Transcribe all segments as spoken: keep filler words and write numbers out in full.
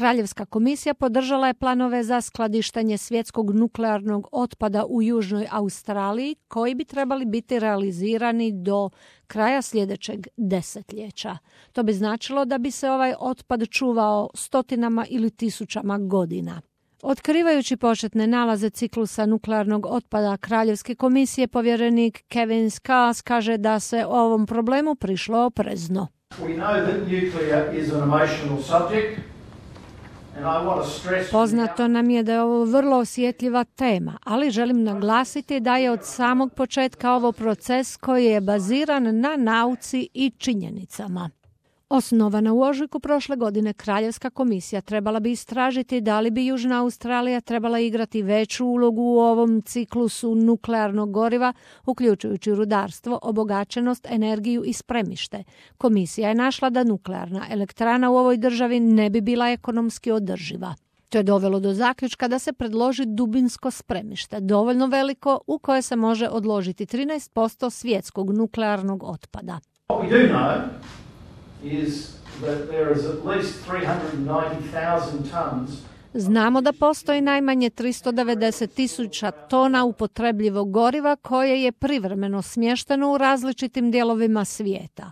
Kraljevska komisija podržala je planove za skladištenje svjetskog nuklearnog otpada u Južnoj Australiji, koji bi trebali biti realizirani do kraja sljedećeg desetljeća. To bi značilo da bi se ovaj otpad čuvao stotinama ili tisućama godina. Otkrivajući početne nalaze ciklusa nuklearnog otpada Kraljevske komisije, povjerenik Kevin Scarse kaže da se o ovom problemu prišlo oprezno. We know that nuclear is an emotional subject. Poznato nam je da je ovo vrlo osjetljiva tema, ali želim naglasiti da je od samog početka ovo proces koji je baziran na nauci i činjenicama. Osnovana u ožujku prošle godine, Kraljevska komisija trebala bi istražiti da li bi Južna Australija trebala igrati veću ulogu u ovom ciklusu nuklearnog goriva, uključujući rudarstvo, obogaćenost, energiju i spremište. Komisija je našla da nuklearna elektrana u ovoj državi ne bi bila ekonomski održiva. To je dovelo do zaključka da se predloži dubinsko spremište, dovoljno veliko u koje se može odložiti trinaest posto svjetskog nuklearnog otpada. What we do know is that there is at least three hundred ninety thousand tons. Znamo da postoji najmanje tristo devedeset tisuća tona upotrebljivog goriva koje je privremeno smješteno u različitim dijelovima svijeta.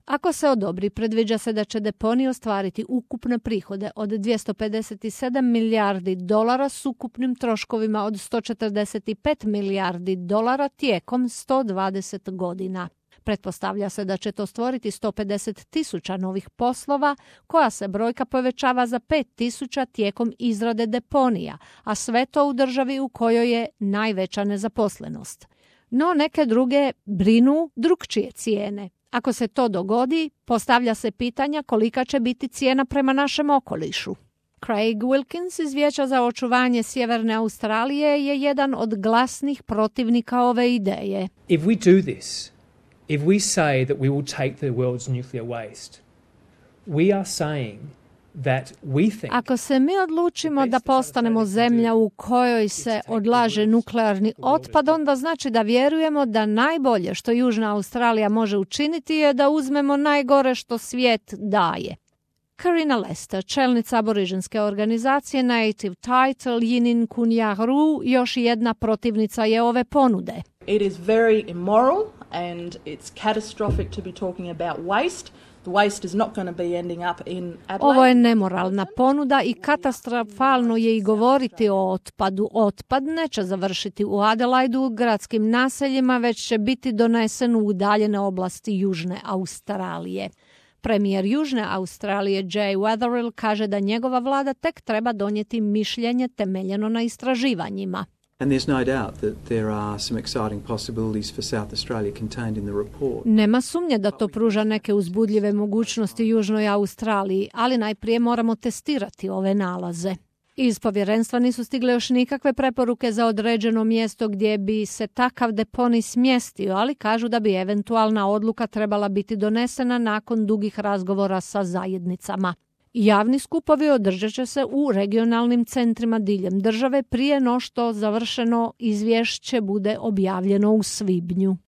Ako se odobri, predviđa se da će deponij ostvariti ukupne prihode od dvjesto pedeset sedam milijardi dolara s ukupnim troškovima od sto četrdeset pet milijardi dolara tijekom sto dvadeset godina. Pretpostavlja se da će to stvoriti sto pedeset tisuća novih poslova, koja se brojka povećava za pet tisuća tijekom izrade deponija, a sve to u državi u kojoj je najveća nezaposlenost. No neke druge brinu drukčije cijene. Ako se to dogodi, postavlja se pitanja kolika će biti cijena prema našem okolišu. Craig Wilkins iz Vijeća za očuvanje Sjeverne Australije je jedan od glasnih protivnika ove ideje. If we do this, if we say that we will take the world's nuclear waste, we are saying that we think... Ako se mi odlučimo da postanemo zemlja u kojoj se odlaže nuklearni otpad, onda znači da vjerujemo da najbolje što Južna Australija može učiniti je da uzmemo najgore što svijet daje. Karina Lester, čelnica aborižinske organizacije Native Title Yinin Kunjahru, još jedna protivnica je ove ponude. It is very immoral and it's catastrophic to be talking about waste. The waste is not going to be ending up in Adelaide. Ovo je nemoralna ponuda i katastrofalno je i govoriti o otpadu. Otpad neće završiti u Adelaidu, u gradskim naseljima, već će biti donesen u udaljene oblasti Južne Australije. Premijer Južne Australije Jay Weatherill kaže da njegova vlada tek treba donijeti mišljenje temeljeno na istraživanjima. And there's no doubt that there are some exciting possibilities for South Australia contained in the report. Nema sumnje da to pruža neke uzbudljive mogućnosti Južnoj Australiji, ali najprije moramo testirati ove nalaze. Iz povjerenstva nisu stigle još nikakve preporuke za određeno mjesto gdje bi se takav deponij smjestio, ali kažu da bi eventualna odluka trebala biti donesena nakon dugih razgovora sa zajednicama. Javni skupovi održat će se u regionalnim centrima diljem države prije no što završeno izvješće bude objavljeno u svibnju.